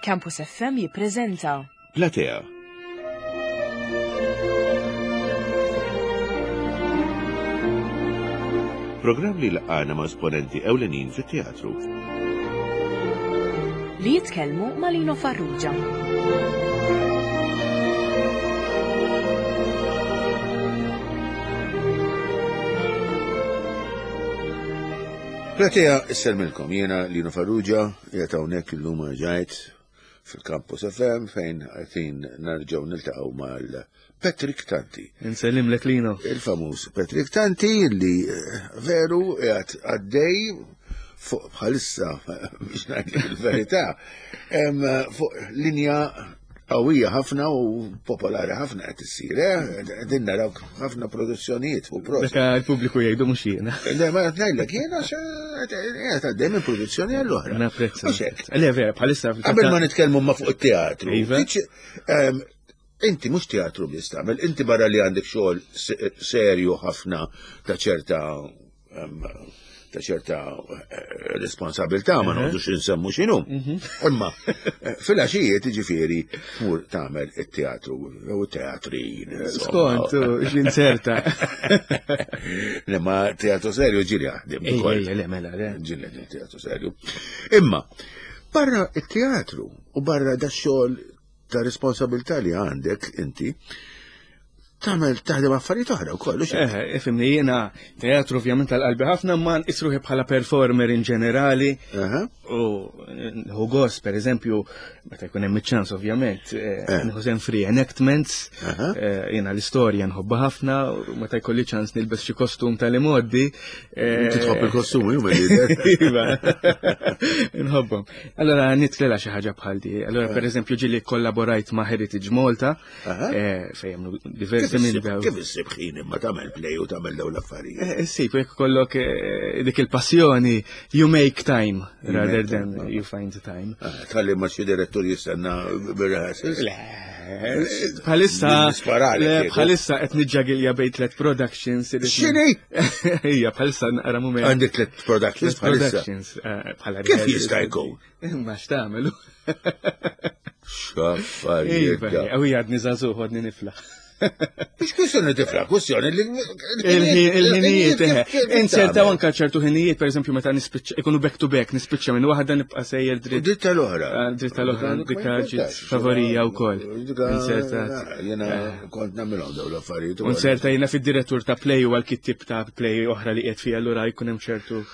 Campus FM jippreżenta Platea. Programm li laqana ma' esponenti ewlenin fit-teatru. Li jitkellmu ma' Lino Farrugia. Platea isselmilkom jiena Lino Farrugia, qiegħed hawnhekk illum ġajt fil-Campus FM fejn qegħdin narġgħu niltaqgħu mal Patrick Tanti. Insellimlek Lino. Il-famuż Patrick Tanti li eh, veru qiegħed għaddej fuq bħalissa biex ngħid il-verità fuq linja qawwija ħafna u popolari ħafna qed issir, eh? Qegħdin naraw ħafna produzzjonijiet u prosit. Dak il-pubbliku jgħidu mhux jiena. Le ma qed ngħidlek jiena qed għaddej minn produzzjoni għall-oħra. Napprezza. Le vera, bħalissa. Qabel ma nitkellmu ma fuq it-teatru. Iva. Ehm, inti mhux teatru biss tagħmel, inti barra li għandek xogħol serju ħafna ta' ċerta ta' ċerta eh, responsabilità ma noqgħodux insemmu x'inhu. Mhm. Imma eh, fil-għaxijiet jiġifieri tmur tagħmel it-teatru jew teatrin. Skont, x'inserta. Le ma teatru serju ġieli jaħdem ukoll. Le mela, le. Ġieli teatru serju. Imma barra it-teatru u barra da xogħol ta' responsabilità li għandek inti, tagħmel taħdem affarijiet oħra wkoll. Eh, ifimni jiena teatru ovvjament tal-qalbi ħafna ma nqisruħi bħala performer in ġenerali. U nħu gost pereżempju meta jkun hemm iċ-ċans ovvjament, eh, eh. nieħu sem free enactments, jiena l-istorja nħobbha ħafna, meta jkolli ċans nilbes xi kostum tal-imoddi. Inti tħobb il-kostumi huma Iva. Nħobbhom. Allora nitlela xi ħaġa bħal di. Allora pereżempju ġieli kollaborajt ma' Heritage Malta Eh, fejn diversi minn daw. Kif issib ħin imma tagħmel play u tagħmel daw l-affarijiet? Eh, issib jekk kollok eh, dik il-passjoni, you make time rather than you find the time. Ah, tħalli ma xi direttur jistenna bir-rehearsals? Le, bħalissa bħalissa qed niġġagilja bejn tliet productions. X'inhi? Ija, bħalissa naqra mument. Għandi tliet productions bħalissa. Bħala Kif jista' jkun? Imma x'tagħmel? X'affarijiet. Iva, u għadni żagħżugħ għadni niflaħ. Mhux kwistjoni tifla, kwistjoni li. Il-ħinijiet, eh. Insertaw anka ċertu ħinijiet, per eżempju, meta nispiċċa, ikunu back to back, nispiċċa minn waħda nibqa' sejjer dritt. Dritt tal-oħra. Ah, dritt tal-oħra, dikka ġiet favorija wkoll. Insertat. Jiena eh. kont nagħmilhom dawn l-affarijiet. Inserta jiena fid-direttur ta' play u għal-kittib ta' play oħra li qiegħed fiha allura jkun hemm ċertu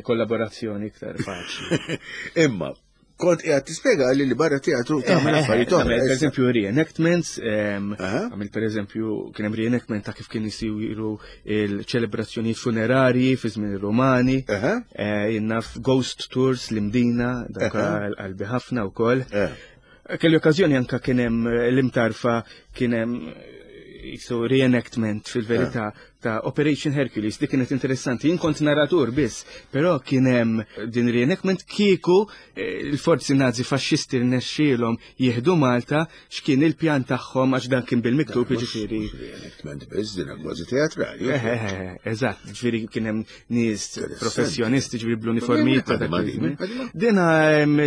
kollaborazzjoni iktar faċli. Imma, kont qiegħed tispjega li li barra teatru tagħmel eh, affarijiet oħra. Per eżempju reenactments, għamil per eżempju kien hemm reenactment ta' kif kien isiru il-ċelebrazzjonijiet funerarji fi żmien ir-Rumani, eh, jinnaf ghost tours l-Imdina, dak qalbi ħafna wkoll. Eh. Kelli okkażjoni anka kien hemm l-imtarfa kien hemm jisu reenactment fil-verità ta' Operation Hercules, li kienet interessanti. Jien kont narratur biss, però kien hemm din reenactment kieku eh, l-forzi nazi faxxisti rnexxielhom jieħdu Malta x'kien il-pjan tagħhom għax dan kien bil-miktub jiġifieri. Reenactment biss din kważi teatrali. Eh, eh, eżatt, ġifieri kien hemm nies professjonisti ġifieri bl-uniformijiet ta' dak Dina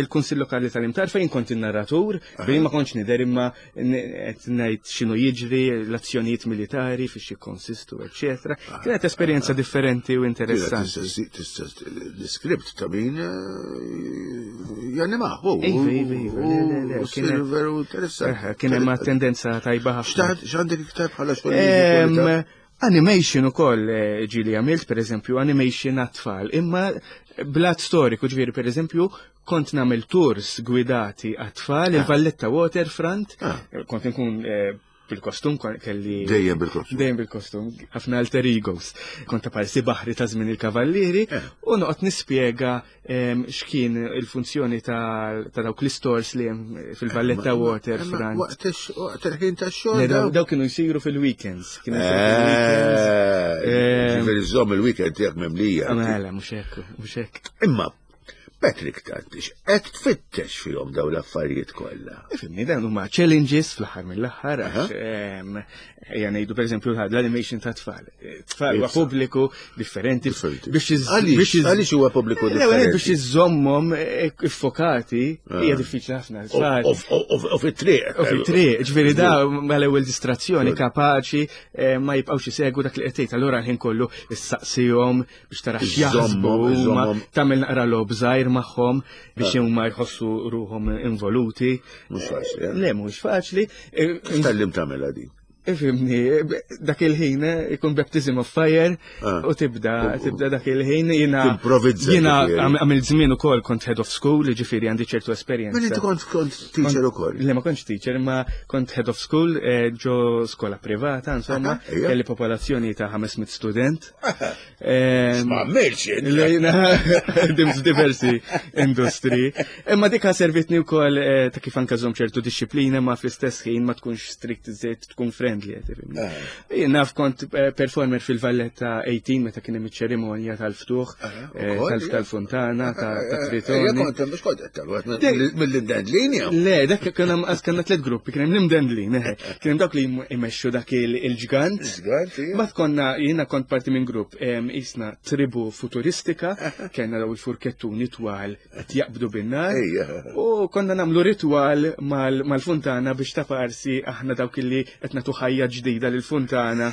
il-Kunsill Lokali tal-Imtar fejn kont in-narratur, fejn ma kontx nidher imma qed ngħid x'inhu jiġri, l-azzjonijiet militari fiex jikkonsistu, eċetera. Ah, Kienet esperjenza ah. differenti u interessanti. Tista' l-iskript ta' min eh, janimaħu. Iva, iva, iva. Kien veru interessanti. Eh, kien hemm tendenza tajba ħafna. X'għandek iktar bħala xogħol? Animation ukoll eh, ġili għamilt, per eżempju, animation għat-tfal, imma blat storiku ġviri, per eżempju, kont namel tours gwidati għat-tfal, ah. il-Valletta Waterfront, ah. kont nkun eh, bil-kostum kelli. Dejjem bil-kostum. Dejjem bil-kostum, ħafna alter egos. Kont ta' parsi baħri ta' żmien il-kavallieri eh. u noqgħod nispjega x'kien il-funzjoni ta' dawk l-istores li hemm fil-Valletta Waterfront. Waqt il-ħin tax-xogħol. Dawk kienu jsiru fil-weekends. Kienu jsiru fil-weekends. Eh, ġifieri żomm il-weekend tiegħek mimlija. Mela, mhux hekk, mhux hekk. Imma Patrick Tantix, qed tfittex fihom dawn l-affarijiet kollha. Ifimni, dan huma challenges fl-aħħar mill-aħħar, għax ejja ngħidu pereżempju l-animation ta' tfal. tfal huwa pubbliku differenti. Biex għaliex huwa pubbliku differenti? Biex iżommhom eh, iffokati ah. hija diffiċli ħafna. U fit-triq. U fit-triq, ġifieri da mal-ewwel distrazzjoni kapaċi eh, ma jibqgħux isegwu dak li qed tgħid. Allura l-ħin kollu issaqsihom biex tara x'jaħsbu huma tagħmel naqra logħob żgħir magħhom biex ah. huma jħossu ruhom involuti. Mhux faċli. Eh? Le, mhux faċli. X'tallim tagħmilha din? Ifimni, dak il-ħin eh, ikun baptism of fire ah. u tibda, tibda dak il-ħin jina. Improvizza. Jina għamil żmien ukoll kont head of school, ġifieri għandi ċertu esperjenza. Mela inti kont kont teacher ukoll. Le ma kontx teacher, ma kont head of school eh, ġo skola privata, insomma, kelli popolazzjoni ta' 500 student. Ma għamilx Dim f'diversi industri. Imma dika servitni wkoll eh, ta' kif anka żomm ċertu disċiplina ma fl-istess ħin ma tkunx strict iżejt tkun friendly qed tifhimni. Eh. Jien naf kont eh, performer fil-Valletta 18 meta kien hemm iċ-ċerimonja tal-ftuħ tal-fontana ta' Tritoni. Kont hemm kont qed mill-imdendlin jew? Le, dak kien hemm kellna tliet gruppi, kien hemm l-imdendlin, kien hemm dawk li jmexxu dak il-ġgant. Mbagħad konna jiena kont parti minn grupp isna tribu futuristika, kellna daw il-furkettuni twal qed jaqbdu bin-nar. U konna nagħmlu ritwal mal-funtana biex ta' parsi aħna dawk illi qed nagħtu ħajja ġdida lill-funtana.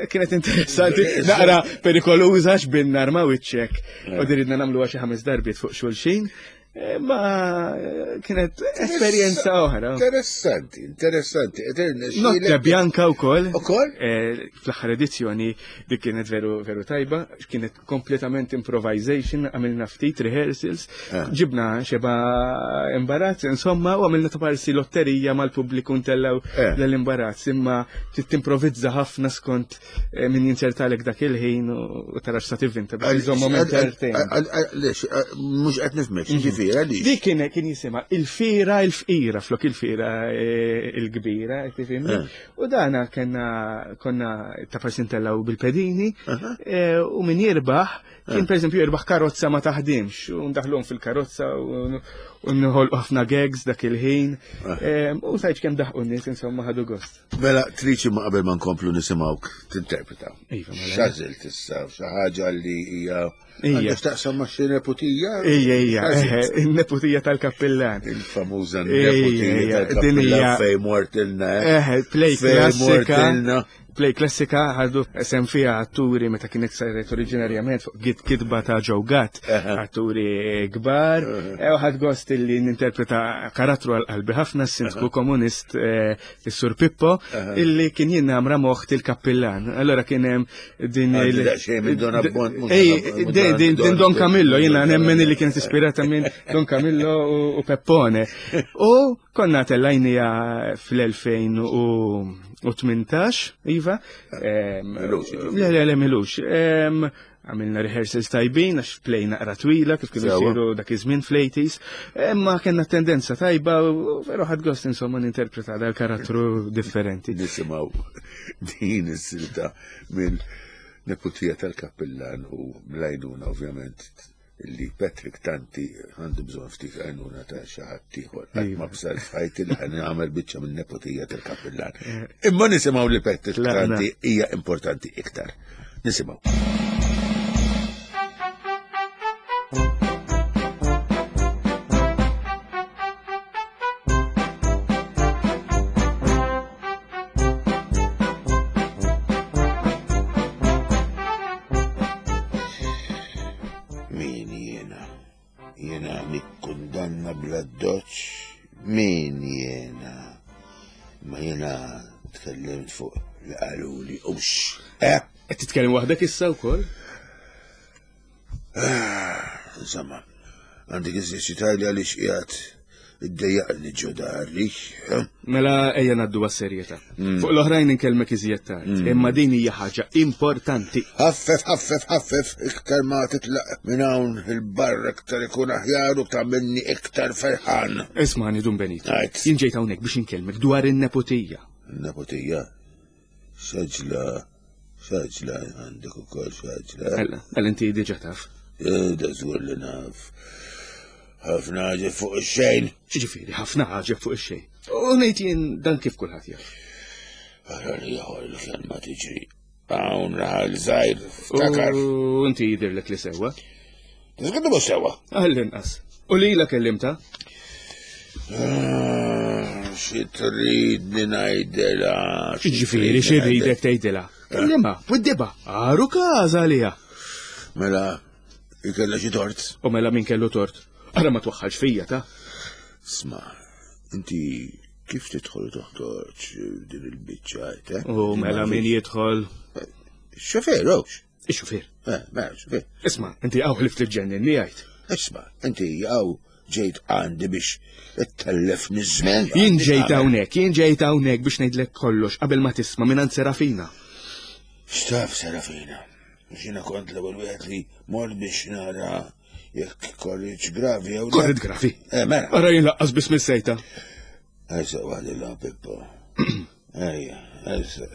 Kienet interessanti, naqra perikoluża x'bin-nar ma' wiċċek. U diridna nagħmluha xi ħames darbiet fuq xulxin. Eh, ma eh, kienet esperjenza oħra. Interessanti, interessanti. Notte Bianca u koll. U koll? Eh, fl-aħħar edizzjoni dik kienet veru veru tajba, kienet kompletament improvisation, għamilna ftit rehearsals, ah. ġibna xeba imbarazz, insomma, u għamilna ta' parsi lotterija mal-pubbliku ntellaw l-imbarazz, imma timprovizza ħafna skont Eh, min jinċertalek dak il-ħin u tara x'sa tivvinta biex iżommhom entertain. Għaliex, eh, mhux qed nifhmek, mhm. ġifieri għaliex. Dik kien kien jisimha il-fira il-fqira flok il-fira eh, il-kbira, tifhimni. U dana kena konna ta' forsi ntellgħu bil-pedini u min jirbaħ Kien per eżempju jirbaħ karozza ma taħdimx, u ndaħlhom fil-karozza u nħolqu ħafna gags dak il-ħin. Ah. U sajċ kemm daħqu n-nies insomma ħadu gost. Mela triċi ma qabel ma nkomplu nisimgħuk tinterpreta. Iva, mela. X'għażilt issa xi ħaġa li hija Ija. Taqsam ma' xi neputija? Ija, ija, il-neputija tal-kappillan. Il-famuża neputija tal-kappillan fej mortilna. Eh, play klassika. Play klassika ħadu sem fiha atturi meta kienet saret oriġinarjament fuq git kitba ta' Joe Gatt, atturi kbar, e, u ħad gost illi ninterpreta karattru għal qalbi ħafna s-sindku komunist eh, is-Sur Pippo, illi kien jinnamra moħt il-kappillan. Allora kien hemm din il- din Don Camillo, jiena nemmen illi kienet ispirata minn Don Camillo u Peppone. U Konna tellajnija fl-2018, Iva. Le, le, le, milux. Għamilna rehearsals tajbin, għax play naqra twila, kif kienu jsiru dak iż-żmien fl-80s. Imma kellna tendenza tajba, u veru ħadd gost insomma ninterpreta dal-karattru differenti. Nisimgħu din is-silta minn neputija tal-kappillan u mlajnuna ovvjament li Patrick Tanti għandu bżonn ftit għajnuna ta' xi ħadd ieħor. Qatt ma bsar f'ħajti li ħan nagħmel biċċa minn nepotija tal-kappillan. Eh. Imma nisimgħu li Patrick Tanti hija importanti iktar. Nisimgħu. Min jiena? Jiena nikkundanna bla doċ? Min jiena? Ma jiena tkellimt fuq li qaluli ux. Eh? Qed titkellem waħdek issa wkoll? Ah, insomma, għandek iżjed xi tgħidli għaliex qiegħed iddejjaqni ġo dari. Eh? Mela ejja ngħaddu għas-serjetà. Mm. Fuq l-oħrajn inkellmek iżjed tard, mm. imma din hija ħaġa importanti. Ħaffef, ħaffef, ħaffef, iktar ma titlaq minn hawn il-barra iktar ikun aħjar u tagħmilni iktar ferħan. Ismani Dun Benito. Jien ġejt hawnhekk biex inkellmek dwar in-neputija. Neputija? Xaġla, xaġla għandek ukoll xaġla. Ella, mela inti diġà taf. Eh, da żgur li naf. Ħafna ħaġa fuq ix-xejn. Ġifieri, ħafna ħaġa fuq ix-xejn. U ngħid jien dan kif kulħadd jaf. Ara li ieħor il-kelma tiġri. Hawn raħal żgħir ftakar. U inti jidhirlek li sewwa. Tiżgħidu mhux sewwa. Għall-inqas. U lila kellimta? Ah, xi tridni ngħidilha? Ġifieri xi rridek tgħidilha? Kellimha, widdiba, għaru każa għaliha. Mela, ikella xi tort. U mela min kellu tort? Ara ma twaħħalx fija ta' Sma, inti kif tidħol u toħtorġ din il-biċċa, eh? U mela min jidħol? Xofer, hux. Ix-xufier. Eh, mela, xofer. Isma, inti għaw ħlift il-ġennin li għajt. Isma, inti għaw ġejt għandi biex ittellef niż-żmien. Jien ġejt hawnhekk, jien ġejt hawnhekk biex ngħidlek kollox qabel ma tisma' minn Serafina. X'taf Serafina? Xina kont l-ewwel wieħed li mort biex nara jekk korriġ gravi jew. Korriġ gravi? Eh, mela. Ara jien laqqas biss mis-sejta. Ejsa waħdi la Pippo. Ejja, ejsa.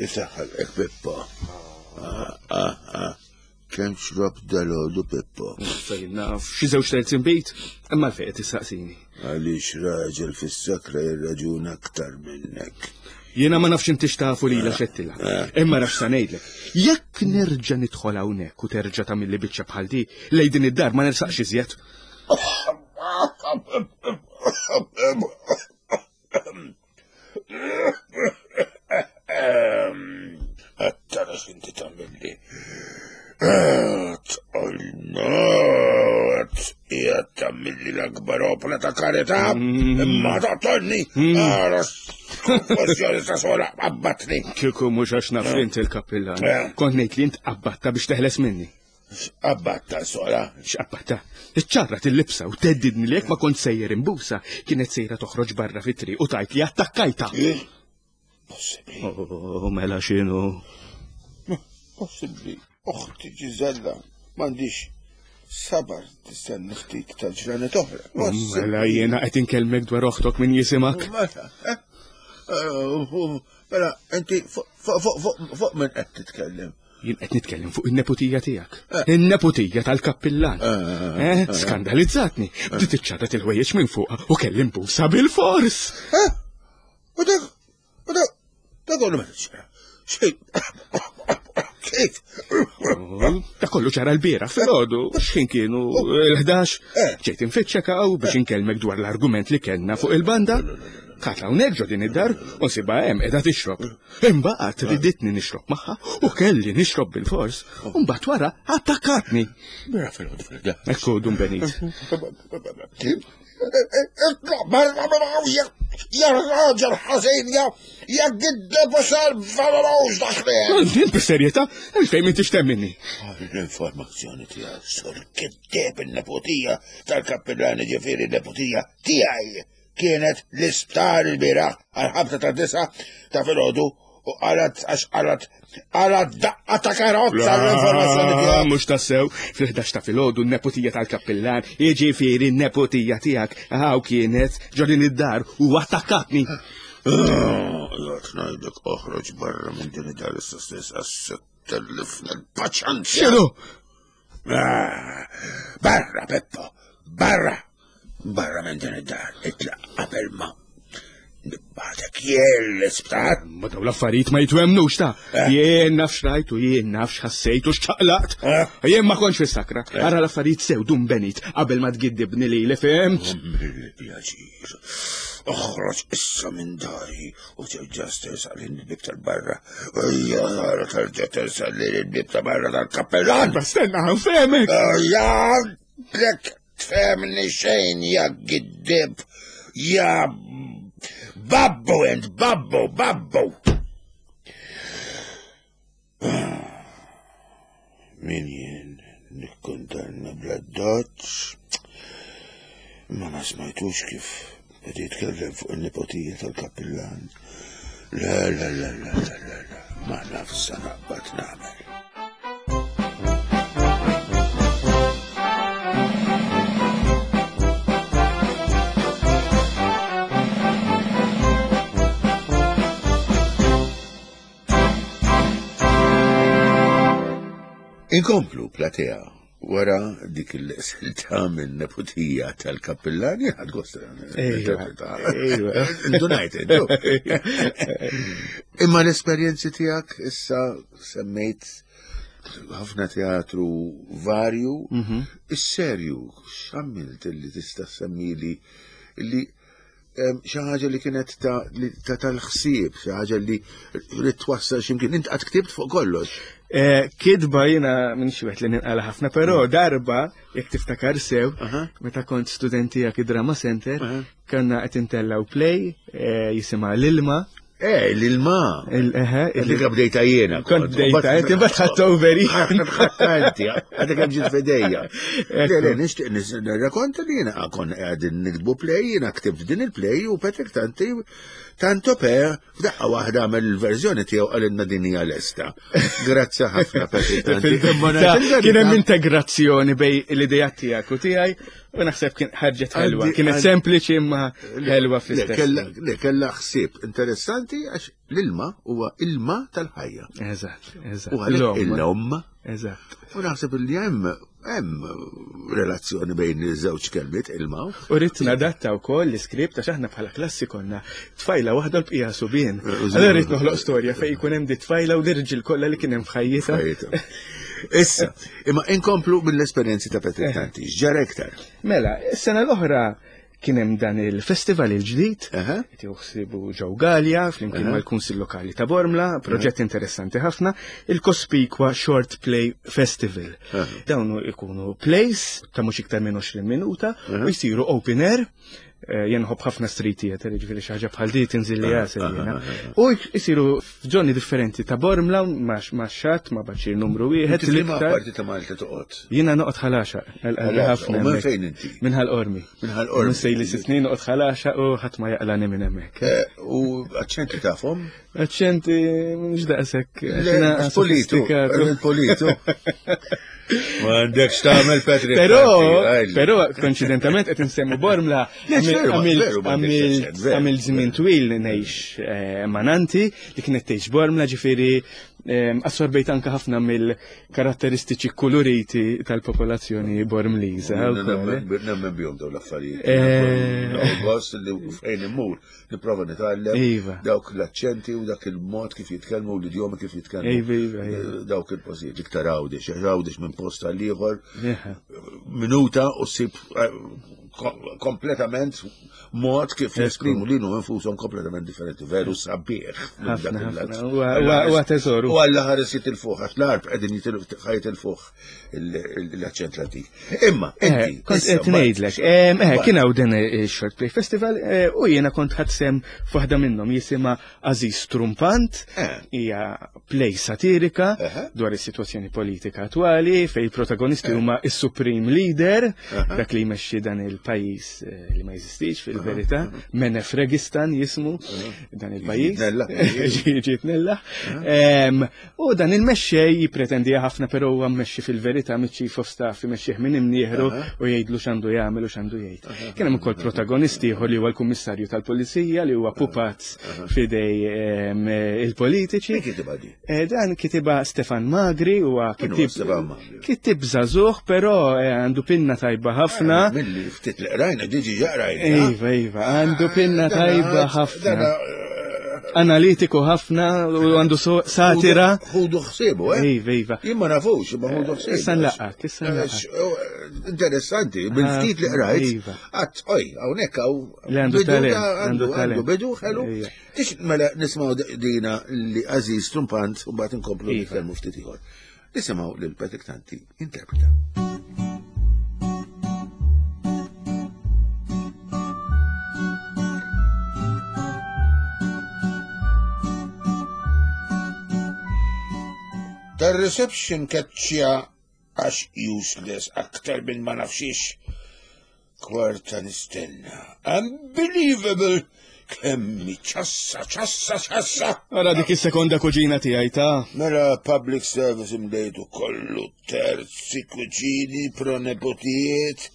Isaħħalek Pippo. Ah, ah, ah. Kemm xrob dalodu Pippo? Fejn naf, xi żewġ terzi nbid, imma l qed tissaqsini. Għaliex raġel fis-sakra jirraġuna aktar minnek. Jiena ma nafx inti x'tafu lila xettilha. Imma naf sa ngħidlek. Jekk nerġa' nidħol hawnhekk u terġa' tagħmilli biċċa bħal di, lej din id-dar ma nersaqx iżjed. Għattara x'inti tagħmilli. Tqolnot, qiegħed tagħmilli l-akbar opra ta' karità, imma toqtolni. Ara konfużjoni ta' sola qabbatni. Kieku mhux għax naf li inti l-kappillan. Kont ngħid li int qabbatta biex teħles minni. X'qabbatta sola? X'qabbatta? Iċċarrat il-libsa u teddidni li jekk ma kont sejjer imbusa, kienet sejra toħroġ barra fit-triq u tgħid li attakkajta. Possibbli. Oh, mela x'inhu? Possibbli. Oħti Ġiżella, m'għandix sabar tistenna ftit ta' ġranet oħra. Mela jiena qed inkellmek dwar oħtok min jisimak. Mela, eh? Eh, mela, inti fuq minn qed titkellem. Jien qed nitkellem fuq in-neputija tiegħek. Eh. In-neputija tal-kappillan. Eh, eh, skandalizzatni. Bdiet iċċarrat il-ħwejjeġ minn fuqha u kelli nbusa bil-fors. U dak, u dak, dak kollu meta ċara. Xejn. Kif? Oh, da kollu ċara l-bira fil-ħodu, x'ħin kienu l-11, ġejt infittxek hawn biex inkellmek dwar l-argument li kellna fuq il-banda. Kata hawnhekk ġo din id-dar u nsibha hemm qiegħda tixrob. Imbagħad riditni nixrob magħha u kelli nixrob bil-fors. U mbagħad wara attakkatni. Mela fil-ħodu fil-ħda. Ekku dun Benit. Itlaq barra minn hawn ja raġel ħażin ja ja giddeb u serv valorous dak li. Int bis-serjetà, għalfejn m'intix temminni. L-informazzjoni tiegħek sur kitteb in-neputija tal-kappillani ġifieri n-neputija tiegħi kienet l-isptar il-bieraħ għal-ħabta ta' disa ta' filgħodu u qalat għax qalat qalat daqqa ta' karozza l-informazzjoni tiegħek. Mhux tassew, fil-11 ta' filgħodu n-neputija tal-kappillan, jiġifieri n-neputija tiegħek hawn kienet ġo din id-dar u attakkatni. Jgħat ngħidlek oħroġ barra minn din id-dar issa stess għas tellifna l-paċenzja. X'inhu? Ah, barra, Peppo, barra! Barra minn din id-dar, itlaq qabel ma nibgħatek jien l-isptar. Ma daw l-affarijiet ma jitwemnux ta' Eh. jien naf xrajt u jien naf x'ħassejt u x'ċaqlaqt. Eh. Jien ma kontx fis-sakra. Ara l-affarijiet sew dun benit qabel ma tgiddibni lili fimt. Mill-pjaċir. Oħroġ issa minn dari u terġa' tersaq lil il-bib tal-barra. Ejja, ara terġa' tersaq lil il-bib ta' barra tal-kappellan. Ma stenna ħanfehmek. Ejja, lek tfehmni xejn ja giddib, ja babbu int, babbu, babbu. Min jien nikkundanna bla doċ, ma ma smajtux kif qed jitkellem fuq in-nipotija tal-kappillan. Le, le, le, le, le, le, le, ma naf sa naqbad nagħmel. Inkomplu platea. Wara dik il-silta minn neputija tal-kappillan, jien ħadt gost. Indunajt, Imma l-esperjenzi tiegħek issa semmejt ħafna teatru varju, mhm. is-serju, x'għamilt li tista' semmili li xi ħaġa li kienet ta' tal-ħsieb, xi ħaġa li li twassal x'imkien. Int qatt ktibt fuq kollox. Eh, kitba jiena minn xi wieħed li ninqala ħafna, però mm. darba jekk tiftakar sew, meta kont studenti jak id-Drama Center, kanna qed intellaw play eh, jisimha l-ilma Eh, l-ilma. Eħe. Dik bdejta jiena. Kont bdejta, inti mbagħad ħadd overi. Ħadd inti, għadek hemm ġiet fidejja. Le, le, nixtieq nirrakonta li jiena kon qegħdin nikdbu play, jiena ktibt din il-play u Patrick Tanti tanto per f'daqqa waħda għamel il-verżjoni tiegħu qalilna din hija lesta. Grazzi ħafna Patrick Tanti. Kien hemm integrazzjoni bej l-idea tiegħek u tiegħi U naħseb kien ħarġet ħelwa, kienet sempliċi imma ħelwa fl-istess. Le, kellha ħsieb interessanti għax l-ilma huwa ilma tal-ħajja. Eżatt, eżatt. U għalhekk l-om. Eżatt. U naħseb li hemm hemm relazzjoni bejn iż-żewġ kelmiet ilma. U rrid nadatta wkoll l-iskript għax aħna bħala klassi konna tfajla waħda l-bqija subien. Allora rrid noħloq storja fejn jkun hemm di tfajla u l-irġiel kollha li kien hemm f'ħajjitha. Issa, imma inkomplu mill-esperjenzi ta' Patrick eh. Tanti, x'ġara iktar? Mela, is-sena l-oħra kien hemm dan il-festival il-ġdid, qed joħsibu ġew Galja flimkien mal-Kunsill Lokali ta' Bormla, proġett interessanti ħafna, il-Cospicua Short Play Festival. Dawn ikunu plays ta' mhux iktar minn 20 minuta u jsiru open air Eh, jien nħobb ħafna street theater, jiġifieri xi ħaġa bħal di tinżil li għasel ah, jiena. Ah, ah, U jsiru f'ġonni differenti ta' Bormla ma' xatt ma' baċir numru wieħed. Liema parti ta' Malta toqgħod? Jiena noqgħod ħalaxa. Ħafna. Minn fejn inti? Minn ħal-Qormi. Minn ħal-Qormi. Minn sejli snin noqgħod ħalaxa u ħadd ma jaqlani minn hemmhekk. Eh, u aċċenti tafhom? Aċċenti mhux daqshekk. Politu, politu. Ma għandekx tagħmel Patrick. Però, però konċidentament qed insemmu Bormla għamil żmien twil ngħix eh, mananti li kienet tgħix Bormla ġifieri eh, assorbejt anke ħafna mill-karatteristiċi kuluriti tal-popolazzjoni Bormliża. Nemmen bihom dawn l-affarijiet. Eh. Gost li fejn immur Nipprova nitgħallem iva. dawk l-aċċenti u dak il-mod kif jitkellmu u l-idjomi kif jitkellmu. Iva, iva, iva. Eh, dawk il-postijiet iktar għawdex, għawdex minn post għal ieħor minuta u ssib eh, kompletament mod kif jesprimu li infushom kompletament differenti, veru sabiħ. Huwa teżoru. U għalla ħares jitilfuh, għax l-arb qegħdin jitilfuh l-aċċent Latin. Imma, eh, inti. Kont qed ngħidlek, eh, kien hawn din il-Short Play Festival eh, u jiena kont ħadd sem f'waħda minnhom jisimha Aziz Trumpant, hija play satirika dwar is-sitwazzjoni politika attwali fejn il-protagonisti huma is-Supreme Leader, dak li jmexxi dan il-pajjiż li ma jeżistix fil-verità, Menefregistan jismu dan il-pajjiż. Ġiet nella. U dan il-mexxej jippretendiha ħafna però huwa mmexxi fil-verità miċ-chief of staff imexxih minn imnieħru u jgħidlu x'għandu jagħmel u x'għandu jgħid. Kien hemm ukoll protagonisti ieħor li huwa l-kummissarju tal-pulizija li huwa pupazz f'idej ehm, il-politiċi. Kitibha di? Eh, dan kitibha Stefan Magri huwa kitib kitib żagħżugħ però eh, għandu pinna tajba ħafna. Eh, milli ftit li qrajna diġi ġaqrajna. Iva, iva, għandu pinna tajba ħafna. Analitiku ħafna u għandu satira. Ħudu ħsibu, eh? Iva, iva. Jien ma nafux, ma ħudu ħsibu. Issa nlaqgħek, issa eh, nlaqgħek. Eh, interessanti, bil-ftit li qrajt. Iva. Għat, oj, hawnhekk hawn. Li għandu talent. Għandu għandu bidu, ħelu. Iva. Tix mela nismgħu dina li Aziz Trumpant u mbagħad inkomplu iva. nitkellmu ftit ieħor. Nisimgħu lil Patrick Tanti interpreta. Tar-reception keċċja għax useless aktar minn ma nafxiex. Kwarta nistenna. Unbelievable! Kemmi ċassa, ċassa, ċassa! Ara dik is-sekonda kuġina tiegħi ta' Mela public service imdejtu kollu terzi kuġini, pronepotijiet,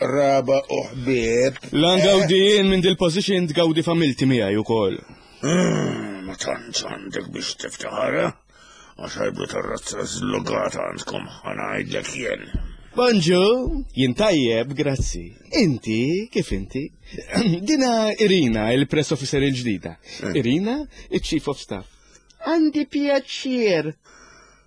raba u ħbieb. Lan gawdi jien minn dil-position tgawdi familti miegħi ukoll. Mm, ma tantx għandek biex tiftaħar, eh? Għax ħajbu tar-razza żlugata għandkom ħanajdlek jien. Bonġu, jien tajjeb, grazzi. Inti, kif inti? Dina Irina, il-press officer il-ġdida. Eh. Irina, il-chief of staff. Għandi pjaċir.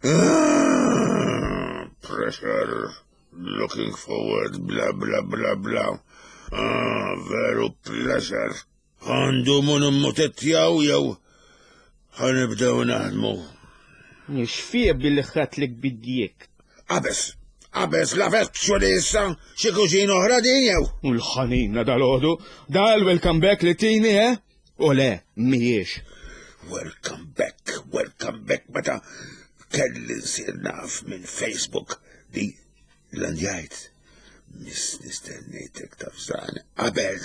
Ah, pressure, looking forward, bla bla bla bla. Ah, veru pleasure. Għandu mun immutettjaw jew ħanibdew naħdmu. Nixfie billi ħatlek bidjek. Qabes, qabes la veċċu li issa xi kuġin oħra din jew. U l-ħanina dal-ħodu, dal-welcome back li tini, eh? U le, mhijiex. Welcome back, welcome back, meta kelli nsir naf minn Facebook li Landjajt, miss nistennejtek tafżan qabel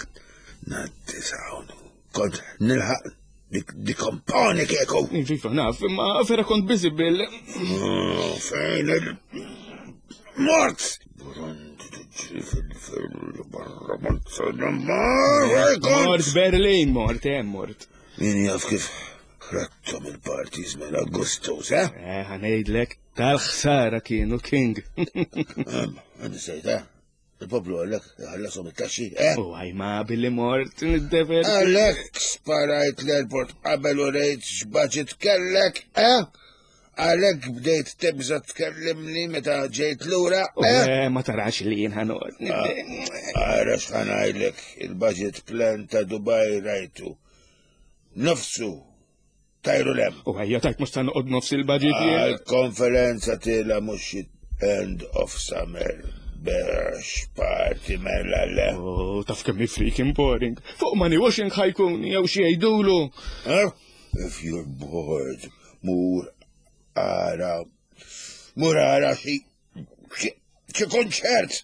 ngħaddi s'hawn. Kont nilħaq dikomponi kieku. Iva naf, imma vera kont busy bil. Oh, fejn il. Mort! Burundi tiġri fil-fil barra Mort Berlin, mort, eh, mort. Min jaf kif ħrattom il-parties mela gustus, eh? Eh, ħanejdlek, Tal-ħsara kienu King. Għandi eh? Il-poplu għallek, ħallasom it-taxxi, eh? U għaj ma billi mort nid-dever. Għalek sparajt l-airport qabel u rejt x'baġit kellek, eh? Għalek bdejt tibża tkellimni meta ġejt lura, eh? eh ma tarax li jien ħanod. Ah, ara x'ħanajlek il-budget plan ta' Dubai rajtu. Nofsu Tajru lem. U ħajja tajt mhux ta' noqgħod nofs il-budget jien. Għal-konferenza tila mhux end of summer. Biex party mela le. Oh, taf kemm freaking boring. Fuq money washing ħajkun jew xi jgħidulu. If you're bored, mur ara mur ara xi Xi konċert!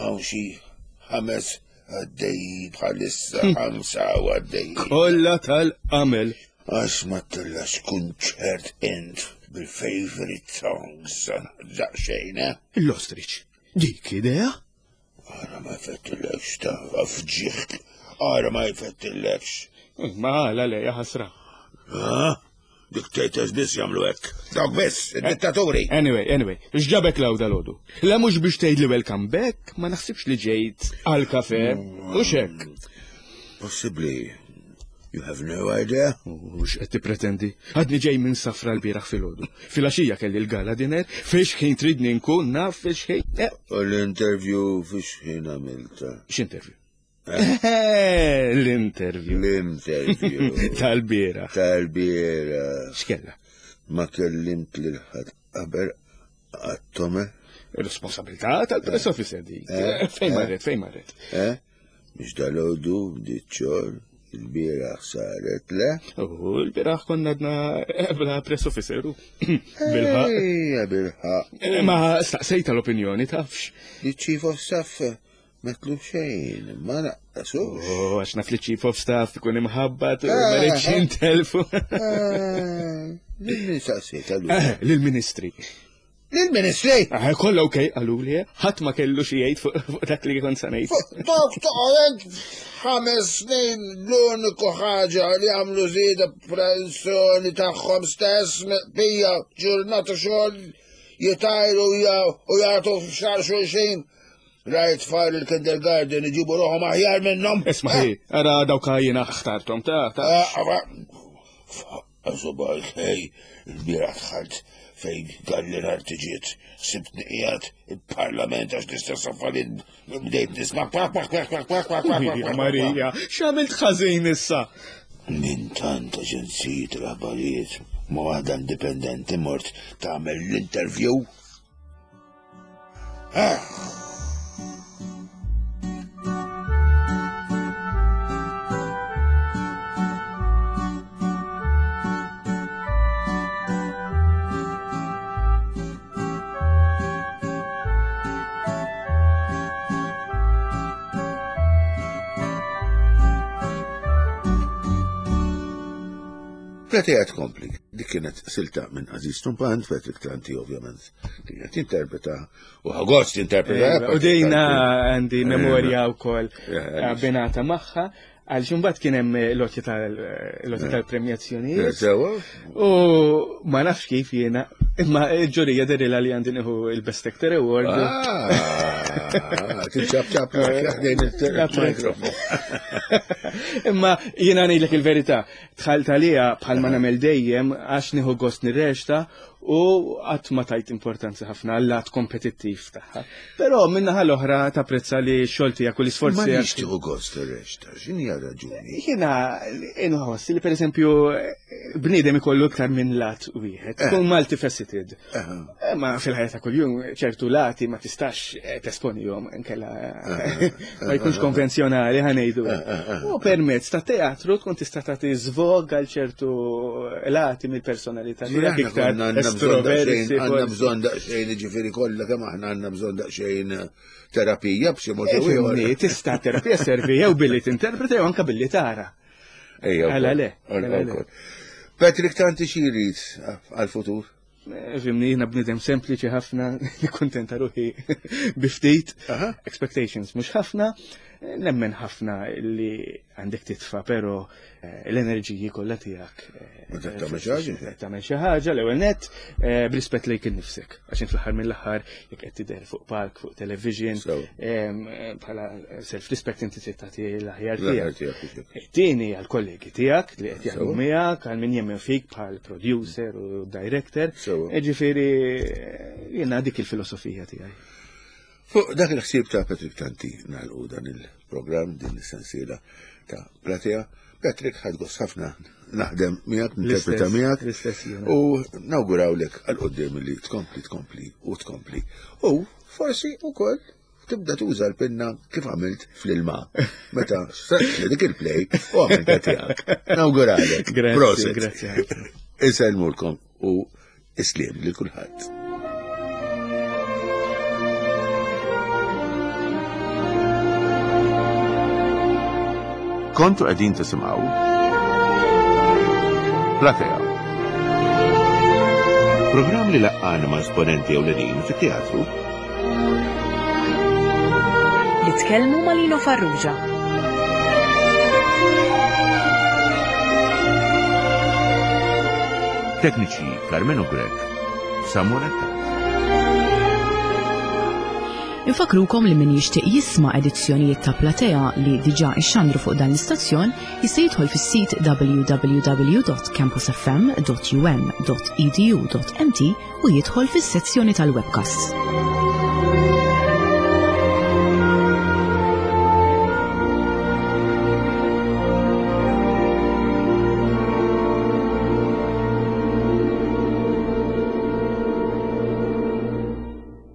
Hawn xi ħames għaddej bħalissa hm. ħamsa u għaddej. Kollha tal-qamel. Għax ma tillax kunċert int bil-favorite songs daqsxejn, eh? L-ostrich, dik idea? Ara ma jfettillekx ta' fġiħk. Ara ma jfettillekx. Ma għala le, ħasra. Dictators biss jagħmlu hekk. Dawk biss, id-dittaturi. Anyway, anyway, x'ġabek law dal-għodu? La mhux biex tgħidli welcome back, ma naħsibx li ġejt għal kafe, u xek. Possibbli. You have no idea? U x'qed tippretendi? Għadni ġej minn safra l-bieraħ filgħodu. Filgħaxija kelli l-gala dinner, fiex ħin tridni nkun naf fiex ħin. Eh. U l-interview fiex ħin għamilta? X'interview? Eh? L-interview. L-interview. Tal-bieraħ. Tal-bieraħ. X'kella? Ma kellimt lil ħadd qabel għattome. Responsabilità tal-press officer dik. Eh? Fejn marret, fejn marret? Eh? Mhux dal-għodu bdiet xogħol, il-bieraħ saret le. U l-bieraħ konna għadna bla press officer. Bilħaq. Ejja, bilħaq. Eh, ma staqsejta l-opinjoni tafx. Li chief of staff metlu xejn, ma naqqasux. Oh, għax naf li chief of staff ikun imħabbat, ma eh, rridx eh. intelfu. Lil staqsejta Lil-ministri. Lill-Ministri! Ah, kollha ok, qaluli, ħadd ma kellu xi jgħid fuq dak li kont sa ngħid. Dawk toqgħod ħames snin l-uniku ħaġa li għamlu żieda pensjoni tagħhom stess bija ġurnata xogħol jitajru u jagħtu f'xar xulxin. Rajt tfal il-kindergarten iġibu ruħhom aħjar minnhom. Isma' hi, ara dawk jiena ħtarthom ta' ta' ah, ah, Għażobajk, ej, il-bieraħ dħalt fejn galli l-artiġiet, sibtni qiegħed il-parlament għax l-istess affarijiet bdejt nisma' kwak kwak kwak kwak kwak kwak kwak kwak. Marija, x'għamilt ħażin issa? Minn tant aġenziji tal-aħbarijiet ma' waħda indipendenti mort tagħmel l-interview. Ah! Platea tkompli. Dik kienet silta minn Aziz Tumpant, Patrick Tanti ovvjament kienet jinterpreta u ħagost jinterpreta. Eh, u dejna għandi memorja wkoll abbinata magħha għal xumbat kien hemm lotja tal-premjazzjonijiet. Sewa. U ma nafx kif jiena Imma il-ġurija derila li għandi nieħu il-Best Actor Award. Ah, Tiċċab ċab ħdejn il-mikrofon. Imma jiena ngħidlek il-verità, dħalt għalija bħalma nagħmel dejjem għax nieħu gost nirreċta u qatt ma tajt importanza ħafna għal-lat kompetittiv tagħha. Però min-naħa l-oħra tapprezza li x-xogħol tiegħek u l-isforzi Ma nix tieħu gost ir-reċta, x'inhi raġuni? Jiena inħoss li pereżempju bniedem ikollu iktar minn lat wieħed, eh. tkun multifaceted. Eh, ma fil-ħajja ta' kuljum ċertu lati ma tistax eh, tesponihom inkella ma jkunx konvenzjonali ħanejdu. U permezz ta' teatru tkun tista' tagħti żvog għal ċertu lati mill-personalità tiegħek iktar estroversi. Għandna bżonn daqsxejn jiġifieri kollha kemm aħna għandna bżonn daqsxejn terapija b'xi mod jew ieħor. Tista' terapija servi jew billi tinterpreta jew anke billi tara. Ejja. Għala le. Patrick Tanti xi jrid għal-futur? Eh, fimni, jina bnidem sempliċi ħafna, kontenta ruħi biftit, expectations mux ħafna, nemmen ħafna li għandek titfa, pero eh, l-enerġiji kollha tiegħek. Eh, tagħmel xi ħaġa. Tagħmel xi ħaġa l-ewwel nett b'rispett lejk innifsek. Għax fl-aħħar mill-aħħar jekk qed tidher fuq palk, fuq television, bħala self-respect inti trid tagħti l-aħjar tiegħek. Tieni għall-kollegi tiegħek li qed jaħdmu miegħek, għal min jemmen fik bħal producer u director. Ġifieri jiena dik il-filosofija tiegħi. Fuq dak il-ħsieb ta' Patrick Tanti nagħlqu dan il-programm din is-sensiela ta' Platea. Patrick ħadt gost ħafna naħdem miegħek, ninterpreta miegħek u nawgurawlek għal qudiem li tkompli tkompli u tkompli. U forsi wkoll tibda tuża l-pinna kif għamilt fl-ilma. Meta saqt dik il-play u għamilta tiegħek. Nawguralek. Grazzi, grazzi. Insellmulkom u isliem lil kulħadd. Kontu qegħdin tisimgħu Platea. Programm li laqqana ma' esponenti ewlenin fit-teatru Li tkellmu ma' Lino Farrugia. Tekniċi Carmenu Grech, Samuel Attard. Infakrukom li min jixtieq jisma' edizzjonijiet ta' Platea li diġà ixxandru fuq dan l-istazzjon jista' jidħol fis-sit www.campusfm.um.edu.mt u jidħol fis-sezzjoni tal-webcasts.